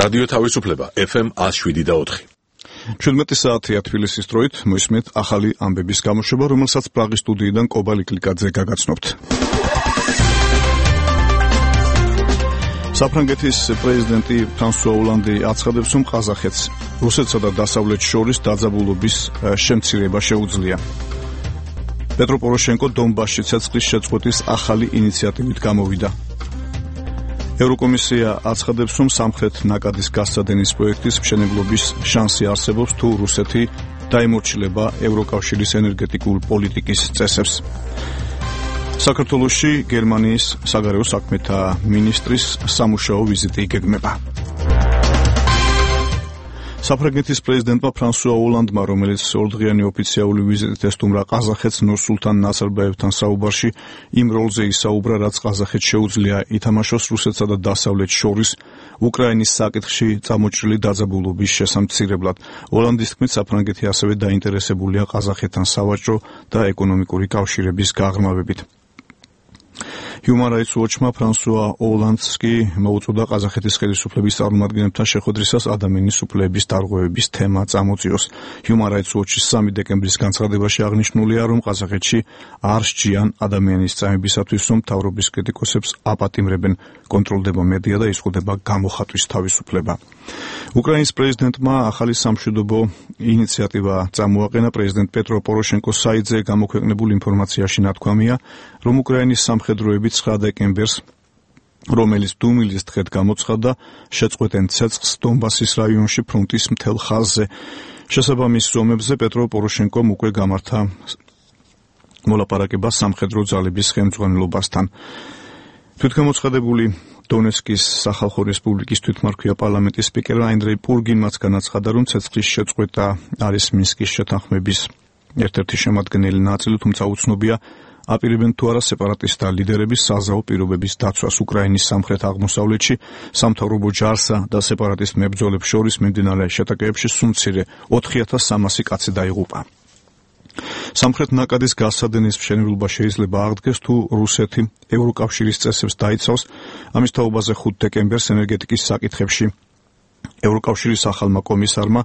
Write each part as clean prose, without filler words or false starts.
რადიო თავისუფლება FM 107.4. 17 საათია თბილისის დროით, მოისმენთ ახალი ამბების გამოშვება, რომელსაც პრაღის სტუდიიდან კობა ლიკლიკაძე გაგაცნობთ. საფრანგეთის პრეზიდენტი ფრანსუა ოლანდი აცხადებს, რომ ყაზახეთს რუსეთსა და დასავლეთს შორის დაძაბულობის შემცირება შეუძლია. პეტრო პოროშენკო დონბასში ცეცხლის შეწყვეტის ახალი ინიციატივით გამოვიდა. ევროკომისია აცხადებს, რომ სამხრეთ ნაკადის გასცადენის პროექტის მშენებლობის შანსი არსებობს, თუ რუსეთი დაემორჩილება ევროკავშირის ენერგეტიკულ პოლიტიკის წესებს. საქართველოში გერმანიის საგარეო საქმეთა მინისტრის სამუშაო ვიზიტი იგეგმება. საფრანგეთის პრეზიდენტმა ფრანსუა ოლანდმა, რომელიც ორდღიანი ოფიციალური ვიზიტით ესტუმრა ყაზახეთს, ნურსულთან ნაზარბაევთან საუბარში იმ როლზე ისაუბრა, რაც ყაზახეთს შეუძლია ითამაშოს რუსეთსა და დასავლეთს შორის უკრაინის საკითხში წამოჭრილი დაძაბულობის შესამცირებლად. ოლანდის თქმით, საფრანგეთი ასევე დაინტერესებულია ყაზახეთთან სავაჭრო და ეკონომიკური კავშირების გაღრმავებით. Human Rights Watch-მა ფრანსუა ოლანდს კი მოუწოდა ყაზახეთის ხელისუფლების წარმომადგენლებთან შეხვედრისას ადამიანის უფლებების დარღვევების თემა წამოწიოს. Human Rights Watch-ის 3 დეკემბრის განცხადებაში აღნიშნულია, რომ ყაზახეთში არ სჯიან ადამიანის წამებისათვის, რომ მთავრობის კრიტიკოსებს აპატიმრებენ, კონტროლდება მედია და იზღუდება გამოხატვის თავისუფლება. უკრაინის პრეზიდენტმა ახალი სამშვიდობო ინიციატივა წამოაყენა. პრეზიდენტ პეტრო პოროშენკოს საიტზე გამოქვეყნებულ ინფორმაციაში ნათქვამია, რომ უკრაინის სამხედროები 9 დეკემბერს, რომელიც დუმილის დღედ გამოცხადდა, შეწყვეტენ ცეცხლს დონბასის რაიონში ფრონტის მთელ ხაზზე. შესაბამის ზომებზე პეტრო პოროშენკომ უკვე გამართა მოლაპარაკება სამხედრო ძალების ხელმძღვანელობასთან. თვითგამოცხადებული დონეცკის სახალხო რესპუბლიკის თვითმმართველია პარლამენტის სპიკერმა ანდრეი პურგინმაც განაცხადა, რომ ცეცხლის შეწყვეტა არის მინსკის შეთანხმების ერთ-ერთი შემადგენელი ნაწილი, თუმცა უცნობია აპირებენ თუ არა სეპარატისტთა ლიდერების საზავო პირობების დაცვას უკრაინის სამხრეთ აღმოსავლეთში. სამთავრობო ჯარსა და სეპარატისტ მებრძოლებს შორის მიმდინარე შეტაკებებში სულ მცირე 4300 კაცი დაიღუპა. სამხრეთ ნაკადის გასცადენის მშენებლობა შეიძლება აღდგეს, თუ რუსეთი ევროკავშირის წესებს დაიცავს. ამის თაობაზე 5 დეკემბერს ენერგეტიკის საკითხებში ევროკავშირის ახალმა კომისარმა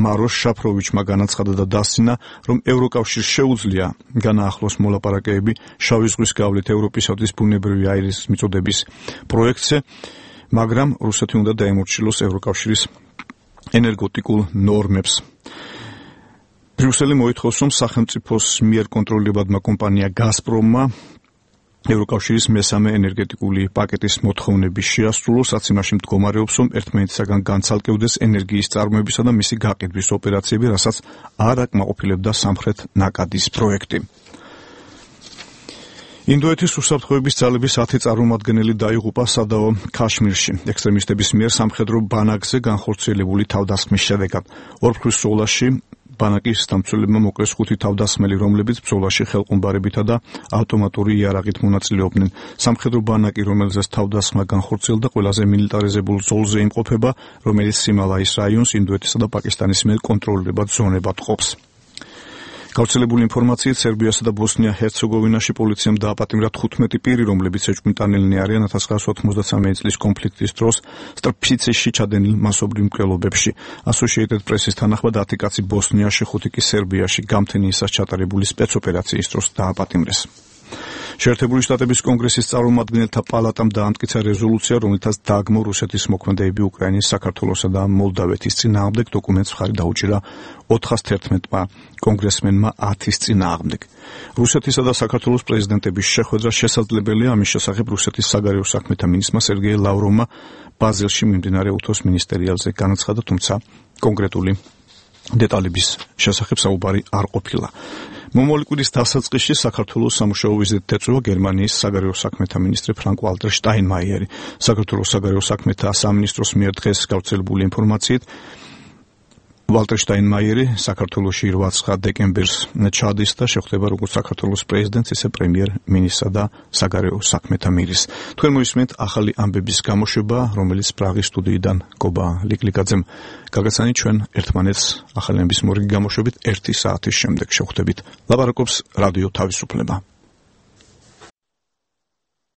მაროშ შაფროვიჩმა განაცხადა და დასცინა, რომ ევროკავშირს შეუძლია განაახლოს მოლაპარაკებები შავი ზღვის გავლით ევროპისათვის ბუნებრივი აირის მიწოდების პროექტზე, მაგრამ რუსეთი უნდა დაემორჩილოს ევროკავშირის ენერგეტიკულ ნორმებს. ბრიუსელი მოითხოვს, რომ სახელმწიფოს მიერ კონტროლებადმა კომპანია გაზპრომმა ევროკავშირის მესამე ენერგეტიკული პაკეტის მოთხოვნების შეასრულოს, რაც იმაში მდგომარეობს, რომ ერთმანეთისაგან განცალკევდეს ენერგიის წარმოებისა და მისი გაყიდვის ოპერაციები, რასაც არ აკმაყოფილებდა სამხრეთ ნაკადის პროექტი. ინდოეთის უსაფრთხოების ძალების 10 წარმომადგენელი დაიღუპა სადაო ქაშმირში ექსტრემისტების მიერ სამხედრო ბანაკზე განხორციელებული თავდასხმის შედეგად. ორფრთის ბრძოლაში ბანაკის დამცველებმა მოკლეს 5 თავდასხმელი, რომლებიც ბრძოლაში ხელყუმბარებითა და ავტომატური იარაღით მონაწილეობდნენ. სამხედრო ბანაკი, რომელზეც თავდასხმა განხორციელდა, ყველაზე მილიტარიზებულ ზოლზე იმყოფება, რომელიც სიმალაის რაიონს ინდოეთისა და პაკისტანის მიერ კონტროლირებად ზონებად ყოფს. გავრცელებული ინფორმაციით, სერბიასა და ბოსნია-ჰერცეგოვინაში პოლიციამ დააპატიმრა 15 პირი, რომლებიც ეჭვმიტანილნი არიან 1993 წლის კონფლიქტის დროს სტრპიცეში ჩადენილ მასობრივ მკვლელობებში. Associated Press-ის თანახმად 10 კაცი ბოსნიაში, 5 კი სერბიაში გამთენიისას ჩატარებული სპეცოპერაციის დროს დააპატიმრეს. შეერთებული შტატების კონგრესის წარმომადგენელთა პალატამ დაამტკიცა რეზოლუცია, რომელთაც დააგმო რუსეთის მოქმედებები უკრაინის, საქართველოსა და მოლდავეთის წინააღმდეგ. დოკუმენტს მხარი დაუჭირა 411-მა კონგრესმენმა 10-ის წინააღმდეგ. რუსეთისა და საქართველოს პრეზიდენტების შეხვედრა შესაძლებელია. ამის შესახებ რუსეთის საგარეო საქმეთა მინისტრმა სერგეი ლავროვმა ბაზელში მიმდინარე უთოს მინისტერიალზე განაცხადა, თუმცა კონკრეტული დეტალების შესახებ საუბარი არ ყოფილა. მომავალი კვირის დასაწყისში საქართველოს სამუშაო ვიზიტით ეწევა გერმანიის საგარეო საქმეთა მინისტრი ფრანკ-ვალტერ შტაინმაიერი. საქართველოს საგარეო საქმეთა სამინისტროს მიერ დღეს გავრცელებული ინფორმაციით, ვალტერ შტაინმაიერი საქართველოში 8 დეკემბერს ჩადის და შეხვდება როგორც საქართველოს პრეზიდენტს, ისე პრემიერ-მინისტრსა და საგარეო საქმეთა მინისტრს. თქვენ მოისმენთ ახალი ამბების გამოშვება, რომელიც პრაღის სტუდიიდან კობა ლიკლიკაძემ გაგაცანით. ჩვენ ერთმანეთს ახალი ამბების მორიგი გამოშვებით 1 საათის შემდეგ შევხვდებით. ლაპარაკობს რადიო თავისუფლება.